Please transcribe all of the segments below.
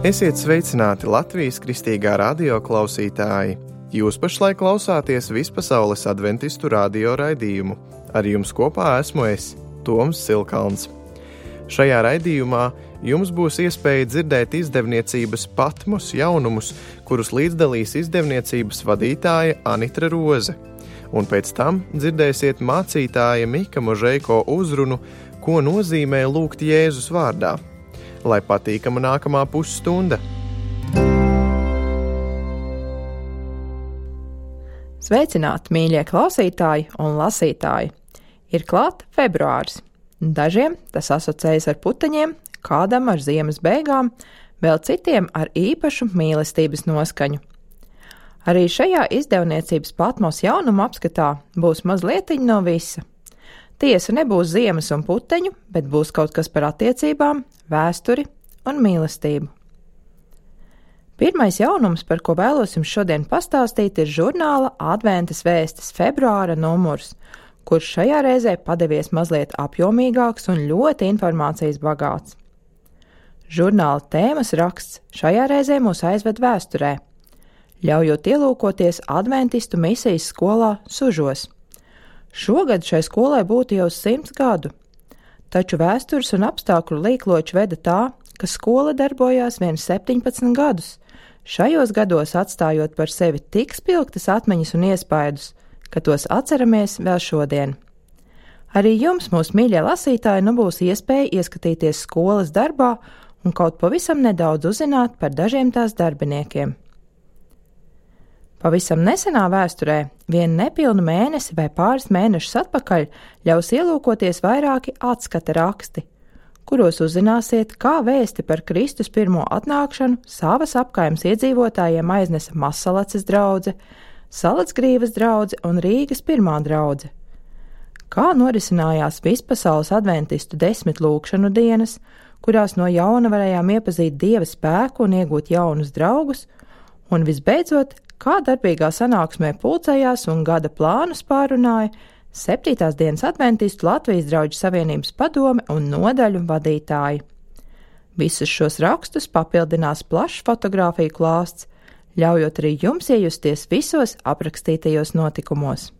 Esiet sveicināti Latvijas Kristīgā radio klausītāji! Jūs pašlaik klausāties Vispasaules adventistu radio raidījumu. Ar jums kopā esmu es, Toms Silkalns. Šajā raidījumā jums būs iespēja dzirdēt izdevniecības Patmos jaunumus, kurus līdzdalīs izdevniecības vadītāja Anitra Roze. Un pēc tam dzirdēsiet mācītāja Mika Možeiko uzrunu, ko nozīmē lūgt Jēzus vārdā. Lai patīkama nākamā pusstunda! Sveicināti, mīļie klausītāji un lasītāji! Ir klāt februāris. Dažiem tas asociējas ar puteņiem, kādam ar ziemas beigām, vēl citiem ar īpašu mīlestības noskaņu. Arī šajā izdevniecības Patmos jaunuma apskatā būs mazlietiņa no visa. Tiesa nebūs ziemas un puteņu, bet būs kaut kas par attiecībām, vēsturi un mīlestību. Pirmais jaunums, par ko vēlos jums šodien pastāstīt, ir žurnāla Adventas vēstis februāra numurs, kurš šajā reizē padevies mazliet apjomīgāks un ļoti informācijas bagāts. Žurnāla tēmas raksts šajā reizē mūs aizved vēsturē, ļaujot ielūkoties adventistu misijas skolā Sužos. Šogad šai skolai būtu jau 100 gadu, taču vēstures un apstākļu līkloči veda tā, ka skola darbojās vien 17 gadus, šajos gados atstājot par sevi tik spilgtas atmiņas un iespaidus, ka tos atceramies vēl šodien. Arī jums, mūsu mīļie lasītāji, nu būs iespēja ieskatīties skolas darbā un kaut pavisam nedaudz uzzināt par dažiem tās darbiniekiem. Pavisam nesenā vēsturē, vienu nepilnu mēnesi vai pāris mēnešus atpakaļ, ļaus ielūkoties vairāki atskata raksti, kuros uzzināsiet, kā vēsti par Kristus pirmo atnākšanu savas apkaimes iedzīvotājiem aiznesa Mazsalaces draudze, Salacgrīvas draudze un Rīgas pirmā draudze. Kā norisinājās Vispasaules adventistu 10 lūgšanu dienas, kurās no jauna varējām iepazīt Dieva spēku un iegūt jaunus draugus, un visbeidzot, kā darbīgā sanāksmē pulcējās un gada plānus pārunāja 7. dienas adventistu Latvijas drauģu savienības padome un nodaļu vadītāji. Visus šos rakstus papildinās plašs fotogrāfiju klāsts, ļaujot arī jums iejusties visos aprakstītajos notikumos.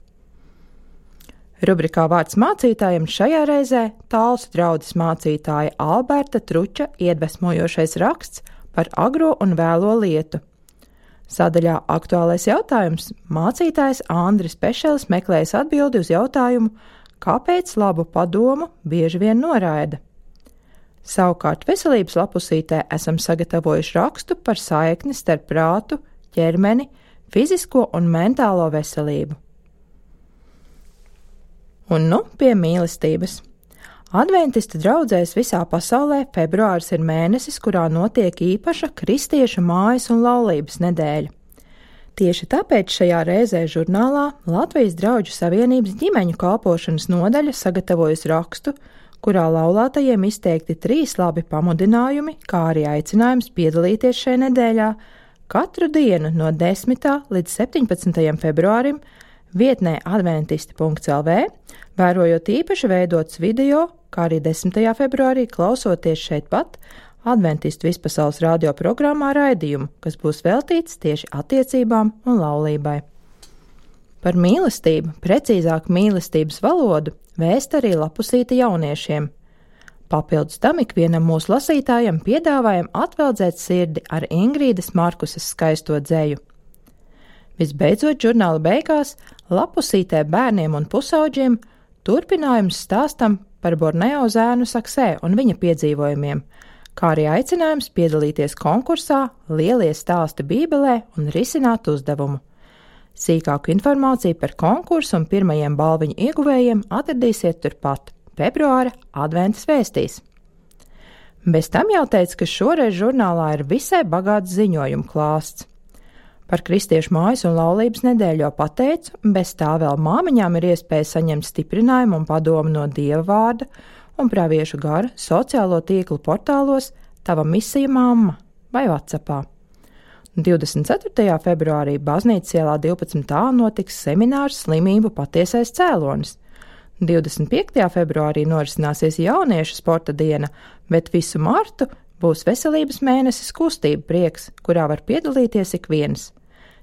Rubrikā Vārds mācītājiem šajā reizē Talsu draudzes mācītāja Alberta Truča iedvesmojošais raksts par agro un vēlo lietu. Sadaļā Aktuālais jautājums mācītājs Andris Pešelis meklējas atbildi uz jautājumu, kāpēc labu padomu bieži vien noraida. Savukārt veselības lapusītē esam sagatavojuši rakstu par saikni starp prātu, ķermeni, fizisko un mentālo veselību. Un nu pie mīlestības. Adventistu draudzēs visā pasaulē februāris ir mēnesis, kurā notiek īpaša kristiešu mājas un laulības nedēļa. Tieši tāpēc šajā reizē žurnālā Latvijas drauģu savienības ģimeņu kalpošanas nodaļa sagatavojusi rakstu, kurā laulātajiem izteikti 3 labi pamudinājumi, kā arī aicinājums piedalīties šajā nedēļā katru dienu no 10. līdz 17. februārim vietnē adventisti.lv, vērojot īpaši veidots video, kā arī 10. februārī klausoties šeit pat Adventistu Vispasaules radio programmā raidījumu, kas būs veltīts tieši attiecībām un laulībai. Par mīlestību, precīzāk mīlestības valodu, vēst arī lapusīte jauniešiem. Papildus tam ikvienam mūsu lasītājam piedāvājam atveldzēt sirdi ar Ingrīdas Markusas skaisto dzeju. Visbeidzot, žurnāla beigās lapusītē bērniem un pusauģiem turpinājums stāstam par Borneo zēnu Saksē un viņa piedzīvojumiem, kā arī aicinājums piedalīties konkursā Lielie stāsti Bībelē un risināt uzdevumu. Sīkāku informāciju par konkursu un pirmajiem balviņu ieguvējiem atradīsiet turpat februāra adventas vēstīs. Bez tam jau teicu, ka šoreiz žurnālā ir visai bagāts ziņojumu klāsts. Par kristiešu mājas un laulības nedēļu jau pateicu, bez tā vēl māmiņām ir iespēja saņemt stiprinājumu un padomu no Dieva vārda un praviešu gara sociālo tīklu portālos Tava misija mamma vai WhatsAppā. 24. februārī Baznīcas ielā 12a notiks seminārs Slimību patiesais cēlonis. 25. februārī norisināsies jauniešu sporta diena, bet visu martu Būs veselības mēnesis kustība prieks, kurā var piedalīties ik viens.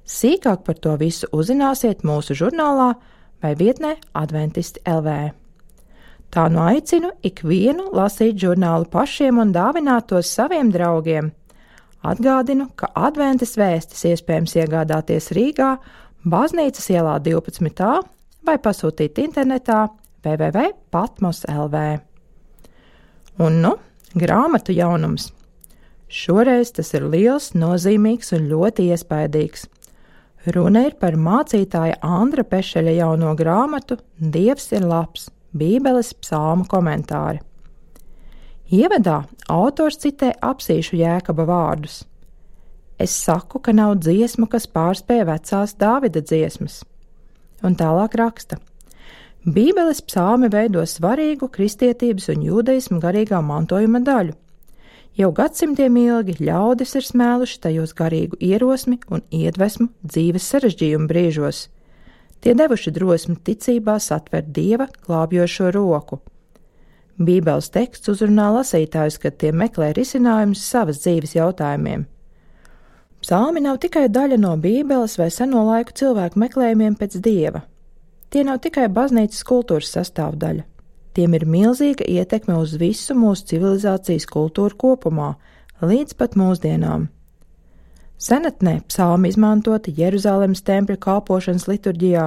Sīkāk par to visu uzzināsiet mūsu žurnālā vai vietnē Adventisti LV. Tā nu aicinu ikvienu lasīt žurnālu pašiem un dāvināt tos saviem draugiem. Atgādinu, ka Adventas vēstis iespējams iegādāties Rīgā, Baznīcas ielā 12. vai pasūtīt internetā www.patmos.lv. Un nu, grāmatu jaunums. Šoreiz tas ir liels, nozīmīgs un ļoti iespaidīgs. Runa ir par mācītāja Andra Pešeļa jauno grāmatu Dievs ir labs, Bībeles psalmu komentāri. Ievadā autors citē Apsīšu Jēkaba vārdus. Es saku, ka nav dziesmu, kas pārspēja vecās Dāvida dziesmas. Un tālāk raksta. Bībeles psalmi veido svarīgu kristietības un jūdaismu garīgā mantojuma daļu. Jau gadsimtiem ilgi ļaudis ir smēluši tajos garīgu ierosmi un iedvesmu dzīves sarežģījumu brīžos. Tie devuši drosmi ticībā satvert Dieva glābjošo roku. Bībeles teksts uzrunā lasītājus, kad tie meklē risinājumus savas dzīves jautājumiem. Psalmi nav tikai daļa no Bībeles vai seno laiku cilvēku meklējumiem pēc Dieva. Tie nav tikai baznīcas kultūras sastāvdaļa. Tiem ir milzīga ietekme uz visu mūsu civilizācijas kultūru kopumā, līdz pat mūsdienām. Senatnē psalmi izmantoti Jeruzalemes tempļa kalpošanas liturģijā,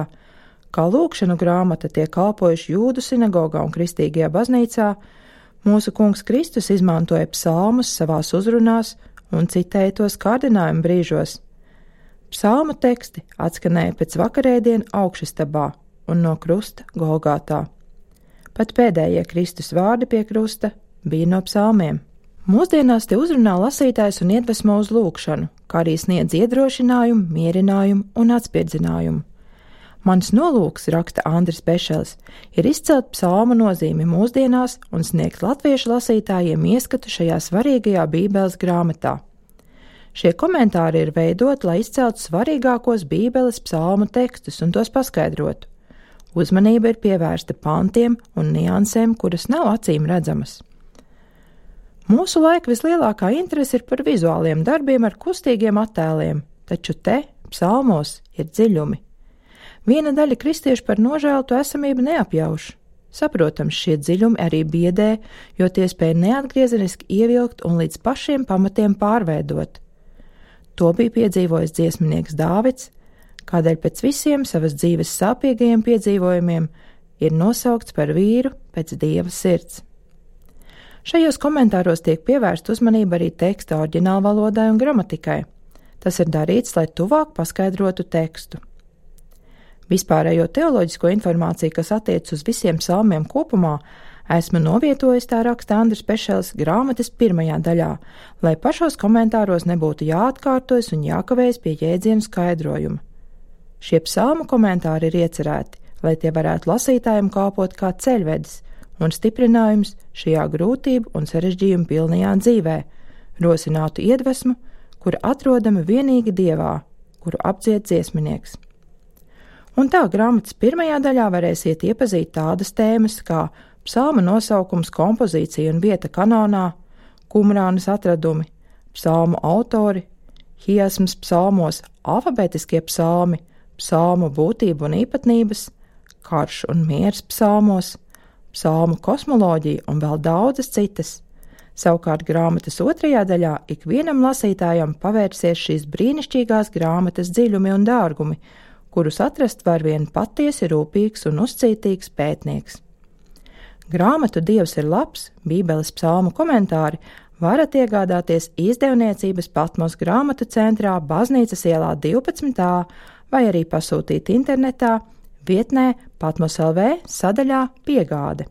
kā lūgšanu grāmata tiek kalpojuši Jūdu sinagogā un Kristīgajā baznīcā, mūsu Kungs Kristus izmantoja psalmus savās uzrunās un citēja tos kārdinājumu brīžos. Psalmu teksti atskanēja pēc vakarēdienu augšastabā un no krusta Golgātā. Pat pēdējie Kristus vārdi pie krusta bija no psalmiem. Mūsdienās te uzrunā lasītājs un iedvesmo uz lūgšanu, kā arī sniedz iedrošinājumu, mierinājumu un atspirdzinājumu. Mans nolūks, raksta Andris Pešelis, ir izcelt psalmu nozīmi mūsdienās un sniegt latviešu lasītājiem ieskatu šajā svarīgajā Bībeles grāmatā. Šie komentāri ir veidoti, lai izceltu svarīgākos Bībeles psalmu tekstus un tos paskaidrotu. Uzmanība ir pievērsta pantiem un niansēm, kuras nav acīm redzamas. Mūsu laika vislielākā interese ir par vizuāliem darbiem ar kustīgiem attēliem, taču te, psalmos, ir dziļumi. Viena daļa kristiešu par nožēltu esamību neapjauš. Saprotams, šie dziļumi arī biedē, jo tie spēj neatgriezeniski ievilkt un līdz pašiem pamatiem pārveidot. To bija piedzīvojis dziesminieks Dāvids, kādēļ pēc visiem savas dzīves sāpīgajiem piedzīvojumiem ir nosaukts par vīru pēc Dieva sirds. Šajos komentāros tiek pievērsta uzmanība arī teksta oriģinālvalodai un gramatikai. Tas ir darīts, lai tuvāk paskaidrotu tekstu. Vispārējo teoloģisko informāciju, kas attiec uz visiem psalmiem kopumā, esmu novietojis, tā raksta Andris Pešelis, grāmatas 1. daļā, lai pašos komentāros nebūtu jāatkārtojas un jākavējas pie jēdzienu skaidrojuma. Šie psalmu komentāri ir iecerēti, lai tie varētu lasītājiem kalpot kā ceļvedis un stiprinājums šajā grūtību un sarežģījumu pilnajā dzīvē, rosinātu iedvesmu, kura atrodama vienīgi Dievā, kuru apdzied dziesminieks. Un tā grāmatas 1. daļā varēsiet iepazīt tādas tēmas kā psalma nosaukums, kompozīcija un vieta kanonā, Kumrānas atradumi, psalmu autori, hiasmas psalmos, alfabetiskie psalmi, psalmu būtība un īpatnības, karš un miers psalmos, psalmu kosmoloģija un vēl daudzas citas. Savukārt grāmatas 2. daļā ikvienam lasītājam pavērsies šīs brīnišķīgās grāmatas dziļumi un dārgumi, kurus atrast var vien patiesi rūpīgs un uzcītīgs pētnieks. Grāmatu Dievs ir labs, Bībeles psalmu komentāri varat iegādāties izdevniecības Patmos grāmatu centrā Baznīcas ielā 12. vai arī pasūtīt internetā vietnē Patmos.lv sadaļā Piegāde.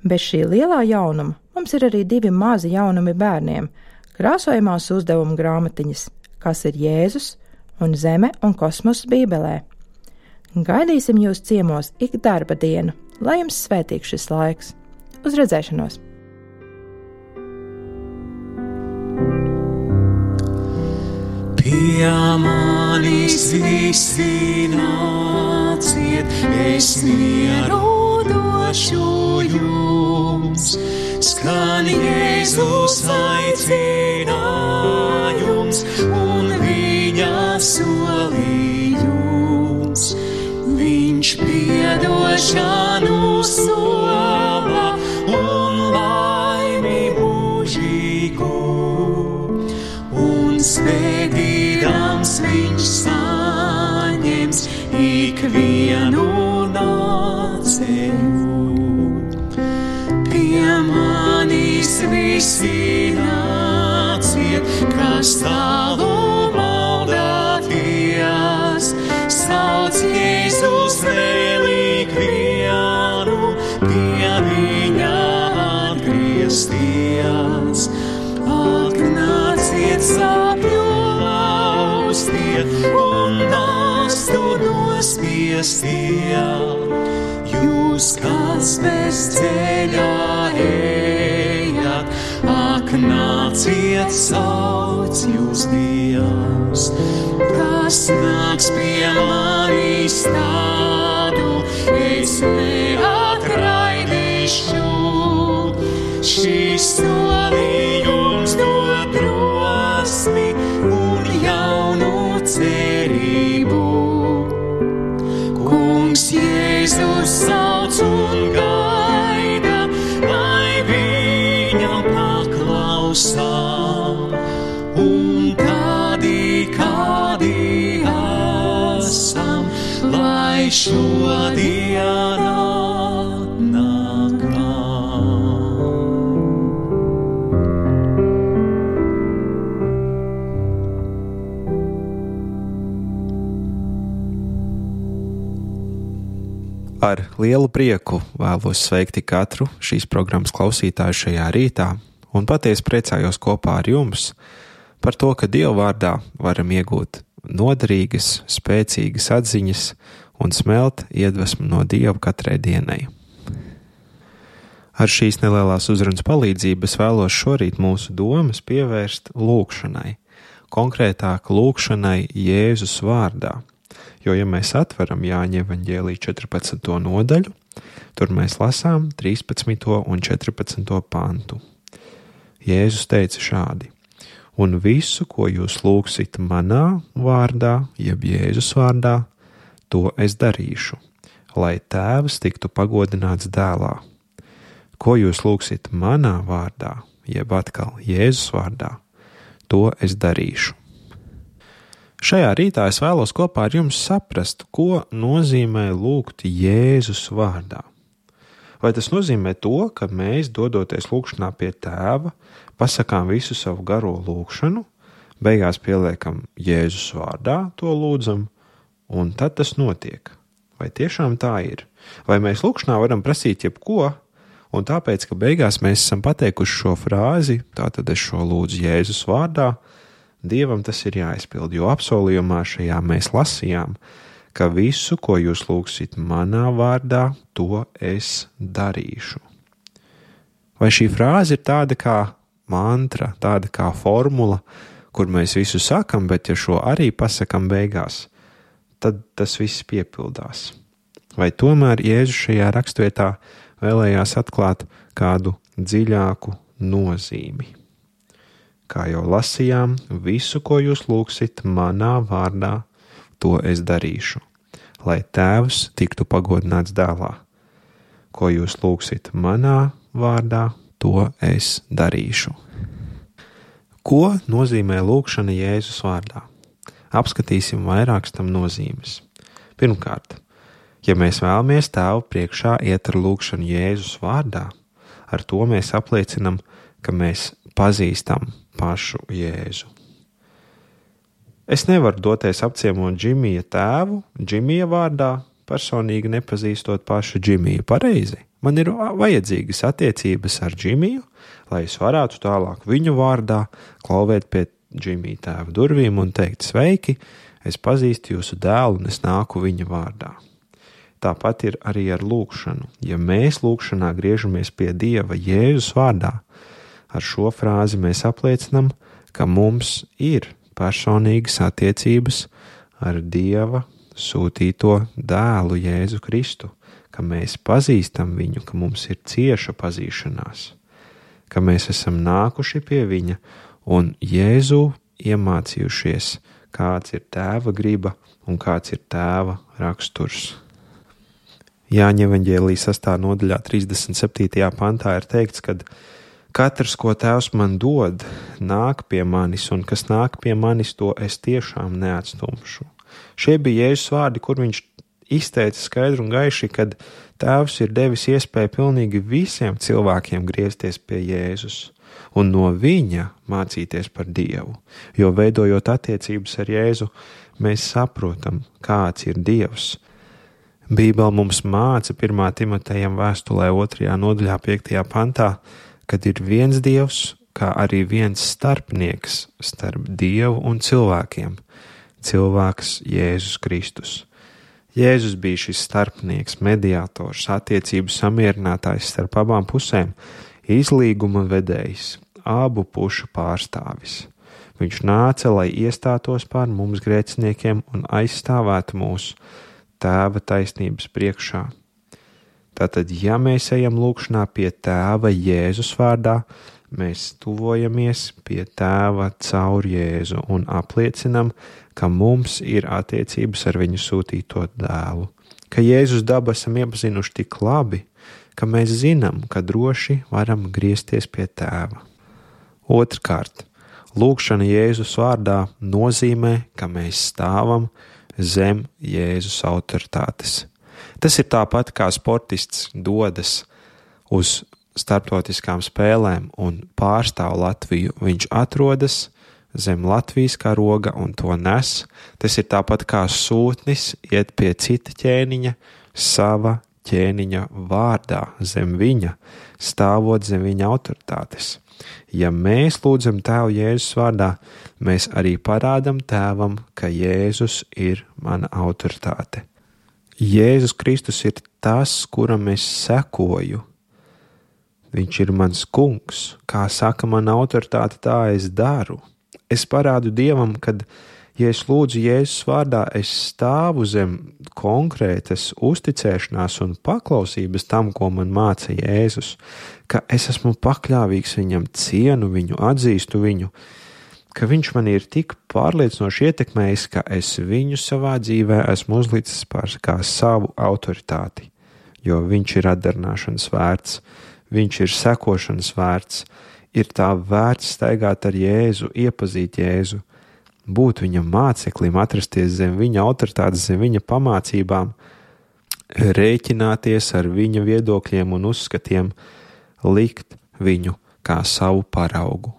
Bez šī lielā jaunuma mums ir arī 2 mazi jaunumi bērniem – krāsojamās uzdevuma grāmatiņas, kas ir Jēzus un Zeme un kosmoss Bībelē. Gaidīsim jūs ciemos ik darba dienu, lai jums svētīgs šis laiks. Uz redzēšanos! Pie manis visi nāciet, es mieru došu jums, skan Jēzus aicinājums un viņa solījums. Viņš piedošanu sola un laimi mūžīgu, un svētīdams viņš saņems ikvienu nācēju. Pie manis visi nāciet, kas tālu maldāties, sauc Jēzus vēl ikvienu, pie viņa atgriezties. Ak, nāciet sāpju laustie un nastu nospiestie, jūs, kas bez ceļā ejat, ak, nāciet, sauc jūs Dievs. Kas nāks pie manis tādu, es neatraidīšu. Šis solījums dod drosmi un jaunu cerību. Kungs Jēzus sauc un gaida, lai viņam paklausām. Un tādi, kādi esam, lai šodien atnākam. Ar lielu prieku vēlos sveikti katru šīs programmas klausītāju šajā rītā un patiesi priecājos kopā ar jums par to, ka Dieva vārdā varam iegūt noderīgas, spēcīgas atziņas un smelt iedvesmu no Dieva katrai dienai. Ar šīs nelielās uzrunas palīdzību es vēlos šorīt mūsu domas pievērst lūgšanai, konkrētāk lūgšanai Jēzus vārdā. Jo, ja mēs atveram Jāņa evaņģēlija 14. nodaļu, tur mēs lasām 13. un 14. pantu. Jēzus teica šādi: un visu, ko jūs lūgsit manā vārdā, jeb Jēzus vārdā, to es darīšu, lai Tēvs tiktu pagodināts dēlā. Ko jūs lūgsit manā vārdā, jeb atkal Jēzus vārdā, to es darīšu. Šajā rītā es vēlos kopā ar jums saprast, ko nozīmē lūgt Jēzus vārdā. Vai tas nozīmē to, ka mēs, dodoties lūgšanā pie Tēva, pasakām visu savu garo lūgšanu, beigās pieliekam Jēzus vārdā, to lūdzam, un tad tas notiek? Vai tiešām tā ir? Vai mēs lūgšanā varam prasīt jebko, un tāpēc, ka beigās mēs esam pateikuši šo frāzi, tātad es šo lūdzu Jēzus vārdā, Dievam tas ir jāizpild, jo apsolījumā šajā mēs lasījām, ka visu, ko jūs lūgsit manā vārdā, to es darīšu. Vai šī frāze ir tāda kā mantra, tāda kā formula, kur mēs visu sakam, bet ja šo arī pasakam beigās, tad tas viss piepildās? Vai tomēr Jēzus šajā rakstvietā vēlējās atklāt kādu dziļāku nozīmi? Kā jau lasījām, visu, ko jūs lūgsit manā vārdā, to es darīšu, lai Tēvs tiktu pagodināts dēlā. Ko jūs lūgsit manā vārdā, to es darīšu. Ko nozīmē lūgšana Jēzus vārdā? Apskatīsim vairākas tam nozīmes. Pirmkārt, ja mēs vēlamies Tēvu priekšā iet ar lūgšanu Jēzus vārdā, ar to mēs apliecinam, ka mēs pazīstam pašu Jēzu. Es nevaru doties apciemot Džimija tēvu, Džimija vārdā, personīgi nepazīstot pašu Džimiju pareizi. Man ir vajadzīgas attiecības ar Džimiju, lai es varētu tālāk viņu vārdā klauvēt pie Džimija tēva durvīm un teikt: sveiki, es pazīstu jūsu dēlu un es nāku viņa vārdā. Tāpat ir arī ar lūgšanu. Ja mēs lūgšanā griežamies pie Dieva Jēzus vārdā, ar šo frāzi mēs apliecinam, ka mums ir personīgas attiecības ar Dieva sūtīto dēlu Jēzu Kristu, ka mēs pazīstam viņu, ka mums ir cieša pazīšanās, ka mēs esam nākuši pie viņa un Jēzu iemācījušies, kāds ir Tēva griba un kāds ir Tēva raksturs. Jāņa evaņģēlijas 6. nodaļā 37. pantā ir teikts, ka katrs, ko Tēvs man dod, nāk pie manis, un kas nāk pie manis, to es tiešām neatstumšu. Šie bija Jēzus vārdi, kur viņš izteica skaidru un gaiši, kad Tēvs ir devis iespēju pilnīgi visiem cilvēkiem griezties pie Jēzus un no viņa mācīties par Dievu, jo veidojot attiecības ar Jēzu, mēs saprotam, kāds ir Dievs. Bībele mums māca 1. Timotejam vēstulē 2. nodaļā 5. pantā, kad ir viens Dievs, kā arī viens starpnieks starp Dievu un cilvēkiem, cilvēks Jēzus Kristus. Jēzus bija šis starpnieks, mediātors, attiecību samierinātājs starp abām pusēm, izlīguma vedējs, abu pušu pārstāvis. Viņš nāca, lai iestātos pār mums grēciniekiem un aizstāvētu mūs Tēva taisnības priekšā. Tātad, ja mēs ejam lūgšanā pie Tēva Jēzus vārdā, mēs tuvojamies pie Tēva caur Jēzu un apliecinam, ka mums ir attiecības ar viņu sūtīto dēlu, ka Jēzus dabu esam iepazinuši tik labi, ka mēs zinām, ka droši varam griezties pie Tēva. Otrkārt, lūgšana Jēzus vārdā nozīmē, ka mēs stāvam zem Jēzus autoritātes. Tas ir tāpat kā sportists dodas uz starptautiskām spēlēm un pārstāv Latviju. Viņš atrodas zem Latvijas karoga un to nes. Tas ir tāpat kā sūtnis iet pie cita ķēniņa sava ķēniņa vārdā, zem viņa, stāvot zem viņa autoritātes. Ja mēs lūdzam Tēvu Jēzus vārdā, mēs arī parādam Tēvam, ka Jēzus ir mana autoritāte. Jēzus Kristus ir tas, kuram es sekoju. Viņš ir mans kungs, kā saka mana autoritāte, tā es daru. Es parādu Dievam, kad, ja es lūdzu Jēzus vārdā, es stāvu zem konkrētas uzticēšanās un paklausības tam, ko man māca Jēzus, ka es esmu pakļāvīgs viņam, cienu viņu, atzīstu viņu, ka viņš man ir tik pārliecinoši ietekmējis, ka es viņu savā dzīvē esmu uzlicis par kā savu autoritāti, jo viņš ir atdarināšanas vērts, viņš ir sekošanas vērts, ir tā vērts staigāt ar Jēzu, iepazīt Jēzu, būt viņam māceklim, atrasties zem viņa autoritātes, zem viņa pamācībām, rēķināties ar viņa viedokļiem un uzskatiem, likt viņu kā savu paraugu.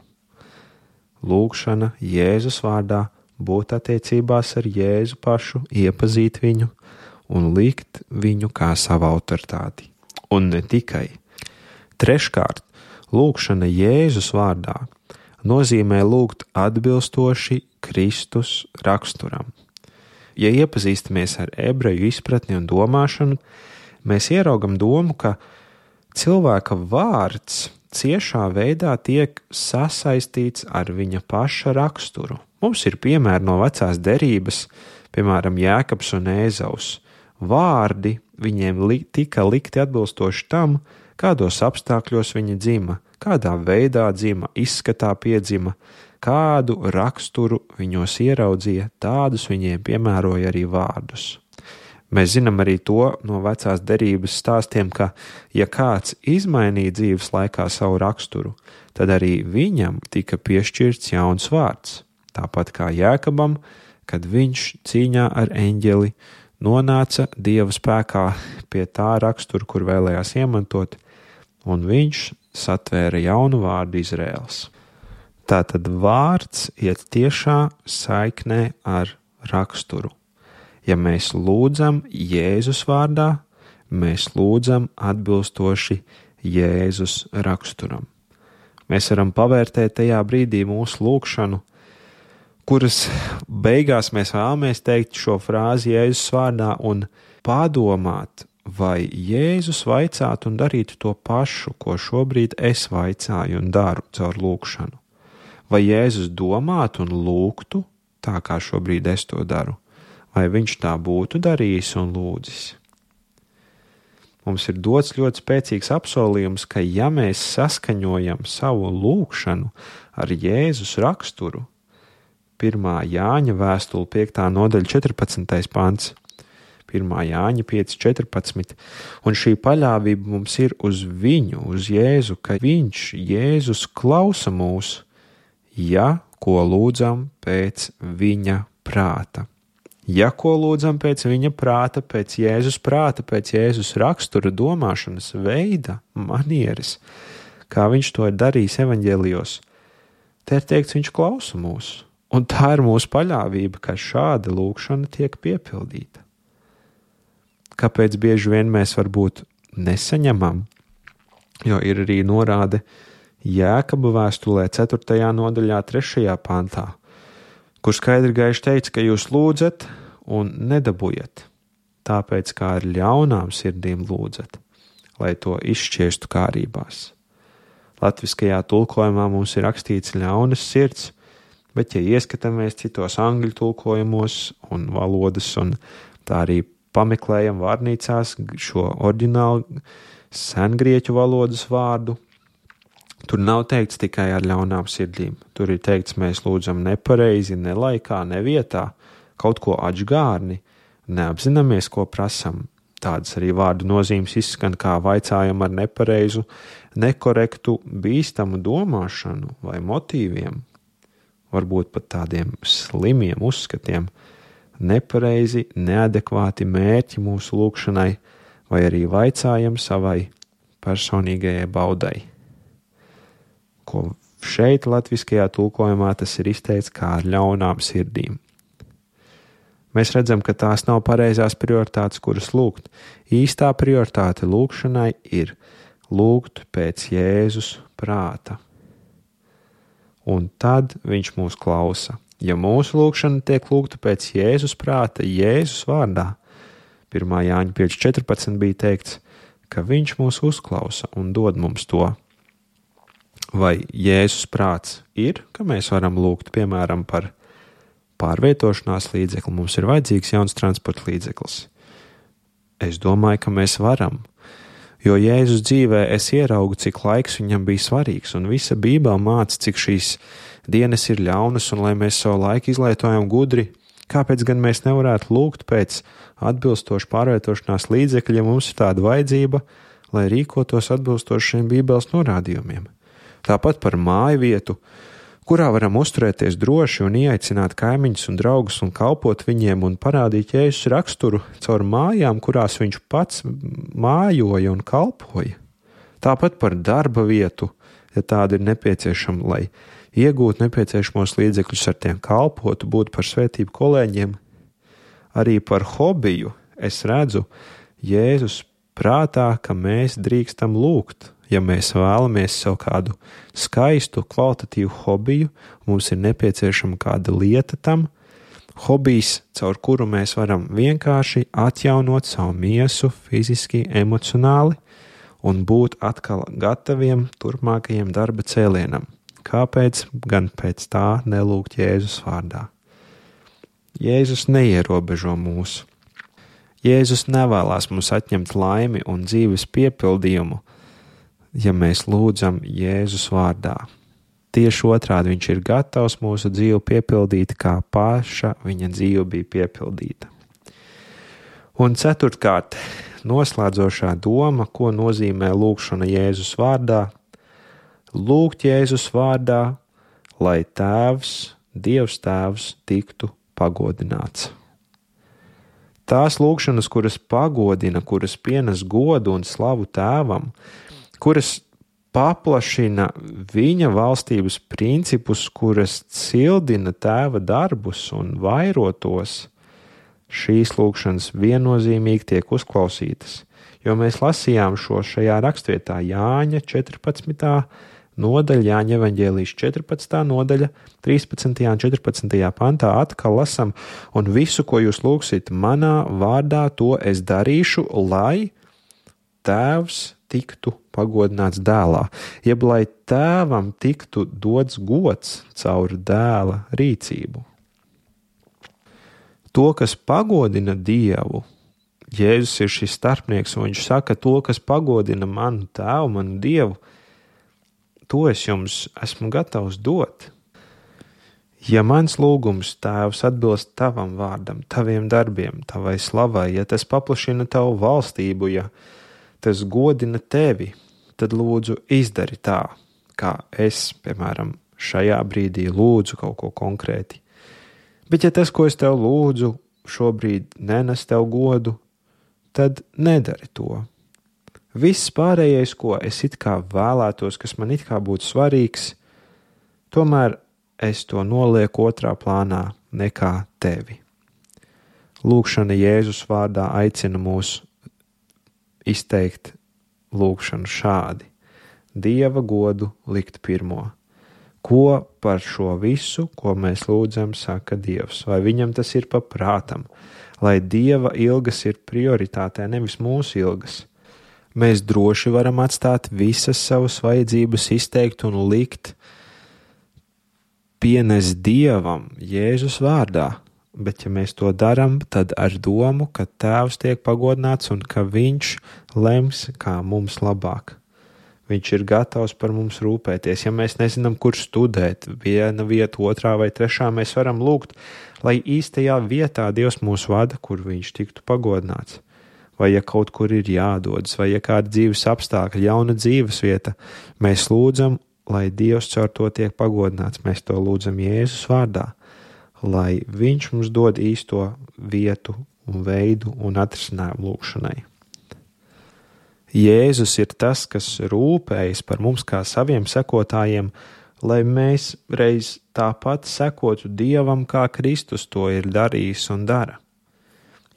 Lūgšana Jēzus vārdā, būt attiecībās ar Jēzu pašu, iepazīt viņu un likt viņu kā savu autoritāti. Un ne tikai. Treškārt, lūgšana Jēzus vārdā nozīmē lūgt atbilstoši Kristus raksturam. Ja iepazīstamies ar ebreju izpratni un domāšanu, mēs ieraugam domu, ka cilvēka vārds ciešā veidā tiek sasaistīts ar viņa paša raksturu. Mums ir piemēri no vecās derības, piemēram, Jēkabs un Ēzaus. Vārdi viņiem tika likti atbilstoši tam, kādos apstākļos viņi dzima, kādā veidā dzima, izskatā piedzima, kādu raksturu viņos ieraudzīja, tādus viņiem piemēroja arī vārdus. Mēs zinām arī to no vecās derības stāstiem, ka, ja kāds izmainīja dzīves laikā savu raksturu, tad arī viņam tika piešķirts jauns vārds. Tāpat kā Jēkabam, kad viņš cīņā ar eņģeli nonāca Dieva spēkā pie tā rakstura, kur vēlējās iemantot, un viņš satvēra jaunu vārdu Izraēls. Tātad vārds iet tiešā saiknē ar raksturu. Ja mēs lūdzam Jēzus vārdā, mēs lūdzam atbilstoši Jēzus raksturam. Mēs varam pavērtēt tajā brīdī mūsu lūgšanu, kuras beigās mēs vēlamies teikt šo frāzi Jēzus vārdā un padomāt, vai Jēzus vaicātu un darītu to pašu, ko šobrīd es vaicāju un daru caur lūgšanu. Vai Jēzus domātu un lūgtu tā, kā šobrīd es to daru? Vai viņš tā būtu darījis un lūdzis? mums ir dots ļoti spēcīgs apsolījums, ka ja mēs saskaņojam savu lūgšanu ar Jēzus raksturu, 1. Jāņa vēstule 5. nodaļa 14. pants, 1. Jāņa 5.14, un šī paļāvība mums ir uz viņu, uz Jēzu, ka viņš, Jēzus, klausa mūs, ja ko lūdzam pēc viņa prāta. Ja ko lūdzam pēc viņa prāta, pēc Jēzus prāta, pēc Jēzus rakstura, domāšanas veida, manieres, kā viņš to ir darījis evaņģēlijos, te ir teikts, viņš klausa mūs, un tā ir mūsu paļāvība, ka šāda lūkšana tiek piepildīta. Kāpēc bieži vien mēs varbūt nesaņemam, jo ir arī norāde Jēkaba vēstulē 4. nodaļā 3. pantā, kur skaidri gaiši teica, ka jūs lūdzat un nedabujat, tāpēc kā ar ļaunām sirdīm lūdzat, lai to izšķiestu kārībās. Latviskajā tulkojumā mums ir rakstīts ļaunas sirds, bet ja ieskatāmies citos angļu tulkojumos un valodas, un tā arī pameklējam vārnīcās šo oriģinālu sengrieķu valodas vārdu, tur nav teikts tikai ar ļaunām sirdīm. Tur ir teikts, mēs lūdzam nepareizi, ne laikā, ne vietā, kaut ko atžgārni, neapzināmies, ko prasam. Tādas arī vārdu nozīmes izskan kā vaicājam ar nepareizu, nekorektu, bīstamu domāšanu vai motīviem, varbūt pat tādiem slimiem uzskatiem, nepareizi, neadekvāti mērķi mūsu lūkšanai, vai arī vaicājam savai personīgajai baudai. Ko šeit latviskajā tulkojumā tas ir izteikts kā ar ļaunām sirdīm. Mēs redzam, ka tās nav pareizās prioritātes, kuras lūgt. Īstā prioritāte lūkšanai ir lūgt pēc Jēzus prāta. Un tad viņš mūs klausa. Ja mūsu lūkšana tiek lūgta pēc Jēzus prāta, Jēzus vārdā, 1. Jāņa 5.14 bija teikts, ka viņš mūs uzklausa un dod mums to. Vai Jēzus prāts ir, ka mēs varam lūgt, piemēram, par pārvietošanās līdzekli, mums ir vajadzīgs jauns transporta līdzeklis? Es domāju, ka mēs varam, jo Jēzus dzīvē es ieraugu, cik laiks viņam bija svarīgs, un visa Bībele māca, cik šīs dienas ir ļaunas, un lai mēs savu laiku izlietojam gudri, kāpēc gan mēs nevarētu lūgt pēc atbilstoši pārvietošanās līdzekļa, ja mums ir tāda vajadzība, lai rīkotos atbilstoši šiem Bībeles norādījumiem. Tāpat par māju vietu, kurā varam uzturēties droši un ieaicināt kaimiņus un draugus un kalpot viņiem un parādīt Jēzus raksturu caur mājām, kurās viņš pats mājoja un kalpoja. Tāpat par darba vietu, ja tāda ir nepieciešama, lai iegūt nepieciešamos līdzekļus ar tiem kalpotu, būt par svētību kolēģiem. Arī par hobiju es redzu Jēzus prātā, ka mēs drīkstam lūgt. Ja mēs vēlamies sev kādu skaistu, kvalitatīvu hobiju, mums ir nepieciešama kāda lieta tam, hobijs, caur kuru mēs varam vienkārši atjaunot savu miesu fiziski, emocionāli un būt atkal gataviem turpmākajiem darba cēlienam. Kāpēc gan pēc tā nelūgt Jēzus vārdā? Jēzus neierobežo mūs. Jēzus nevēlās mums atņemt laimi un dzīves piepildījumu, ja mēs lūdzam Jēzus vārdā. Tieši otrādi viņš ir gatavs mūsu dzīvi piepildīt, kā paša viņa dzīve bija piepildīta. Un ceturtkārt, noslēdzošā doma, ko nozīmē lūgšana Jēzus vārdā. Lūgt Jēzus vārdā, lai Tēvs, Dievs Tēvs, tiktu pagodināts. Tās lūgšanas, kuras pagodina, kuras pienes godu un slavu Tēvam, kuras paplašina viņa valstības principus, kuras cildina Tēva darbus un vairotos, šīs lūgšanas viennozīmīgi tiek uzklausītas, jo mēs lasījām šo šajā rakstvietā Jāņa 14. nodaļa, Jāņa evaņģēlijas 14. nodaļa, 13. un 14. pantā atkal lasam, un visu, ko jūs lūgsit manā vārdā, to es darīšu, lai Tēvs tiktu pagodināts dēlā, jeb lai Tēvam tiktu dots gods caur dēla rīcību. To, kas pagodina Dievu, Jēzus ir šis starpnieks, un viņš saka, to, kas pagodina manu tēvu, manu Dievu, to es jums esmu gatavs dot. Ja mans lūgums, Tēvs, atbilst tavam vārdam, taviem darbiem, tavai slavai, ja tas paplašina tavu valstību, ja tas godina tevi, tad lūdzu izdari tā, kā es, piemēram, šajā brīdī lūdzu kaut ko konkrēti. Bet ja tas, ko es tev lūdzu, šobrīd nenes tev godu, tad nedari to. Viss pārējais, ko es it kā vēlētos, kas man it kā būtu svarīgs, tomēr es to nolieku otrā plānā nekā tevi. Lūkšana Jēzus vārdā aicina mūs izteikt lūkšanu šādi. Dieva godu likt pirmo. Ko par šo visu, ko mēs lūdzam, saka Dievs? Vai viņam tas ir pa prātam? Lai Dieva ilgas ir prioritātē, nevis mūsu ilgas. Mēs droši varam atstāt visas savas vajadzības izteikt un likt pienes Dievam Jēzus vārdā, bet ja mēs to daram, tad ar domu, ka Tēvs tiek pagodināts un ka Viņš lems, kā mums labāk. Viņš ir gatavs par mums rūpēties. Ja mēs nezinām, kur studēt, viena vieta, otrā vai trešā, mēs varam lūgt, lai īstajā vietā Dievs mūs vada, kur Viņš tiktu pagodināts. Vai ja kaut kur ir jādodas, vai ja kāda dzīves apstākļa, jauna dzīves vieta, mēs lūdzam, lai Dievs caur to tiek pagodināts. Mēs to lūdzam Jēzus vārdā, lai Viņš mums dod īsto vietu un veidu un atrisinājumu lūkšanai. Jēzus ir tas, kas rūpējas par mums kā saviem sekotājiem, lai mēs reiz tāpat sekotu Dievam, kā Kristus to ir darījis un dara.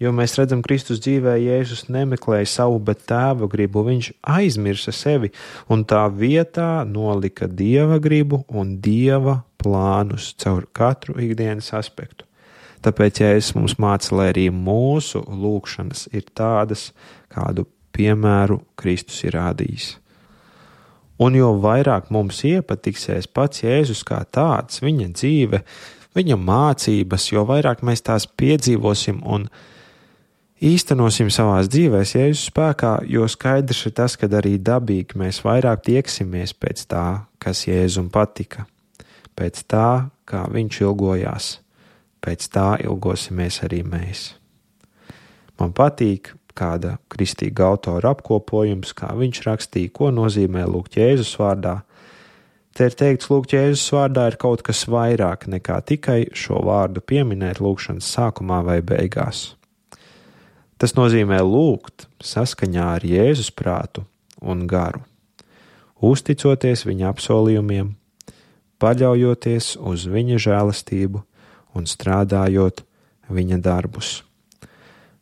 Jo mēs redzam, Kristus dzīvē Jēzus nemeklēja savu, bet Tēva gribu, viņš aizmirsa sevi un tā vietā nolika Dieva gribu un Dieva plānus caur katru ikdienas aspektu. Tāpēc Jēzus mums māca, lai arī mūsu lūkšanas ir tādas, kādu piemēru Kristus ir rādījis. Un jo vairāk mums iepatiksies pats Jēzus kā tāds, viņa dzīve, viņa mācības, jo vairāk mēs tās piedzīvosim un īstenosim savās dzīvēs Jēzus spēkā, jo skaidrs ir tas, ka arī dabīgi mēs vairāk tieksimies pēc tā, kas Jēzum patika, pēc tā, kā viņš ilgojās, pēc tā ilgosimies arī mēs. Man patīk kāda kristīga autora apkopojums, kā viņš rakstīja, ko nozīmē lūgt Jēzus vārdā. Te ir teikts, lūgt Jēzus vārdā ir kaut kas vairāk nekā tikai šo vārdu pieminēt lūgšanas sākumā vai beigās. Tas nozīmē lūgt saskaņā ar Jēzus prātu un garu, uzticoties viņa apsolījumiem, paļaujoties uz viņa žēlastību un strādājot viņa darbus.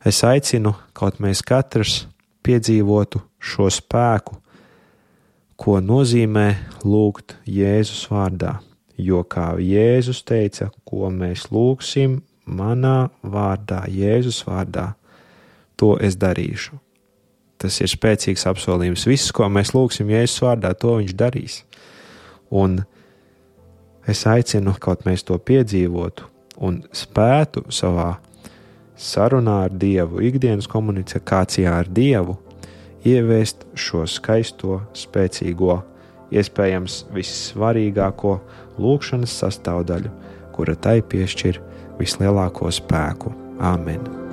Es aicinu, kaut mēs katrs piedzīvotu šo spēku, ko nozīmē lūgt Jēzus vārdā, jo kā Jēzus teica, ko mēs lūgsim manā vārdā, Jēzus vārdā, to es darīšu. Tas ir spēcīgs apsolījums. Viss, ko mēs lūgsim Jēzus vārdā, to viņš darīs. Un es aicinu, kaut mēs to piedzīvotu un spētu savā sarunā ar Dievu, ikdienas komunikācijā ar Dievu, ieviest šo skaisto, spēcīgo, iespējams vissvarīgāko lūgšanas sastāvdaļu, kura tai piešķir vislielāko spēku. Āmen!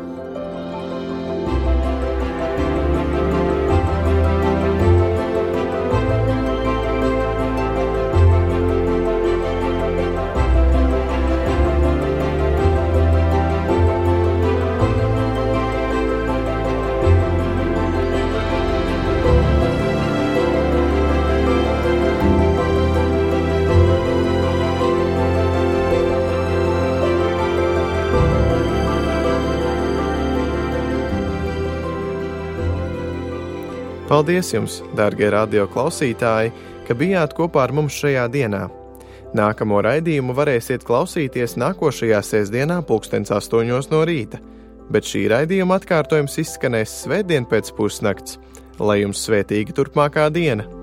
Paldies jums, dārgie radio klausītāji, ka bijāt kopā ar mums šajā dienā. Nākamo raidījumu varēsiet klausīties nākošajā sestdienā 8:00 no rīta, bet šī raidījuma atkārtojums izskanēs svētdien pēc pusnakts. Lai jums svētīga turpmākā diena!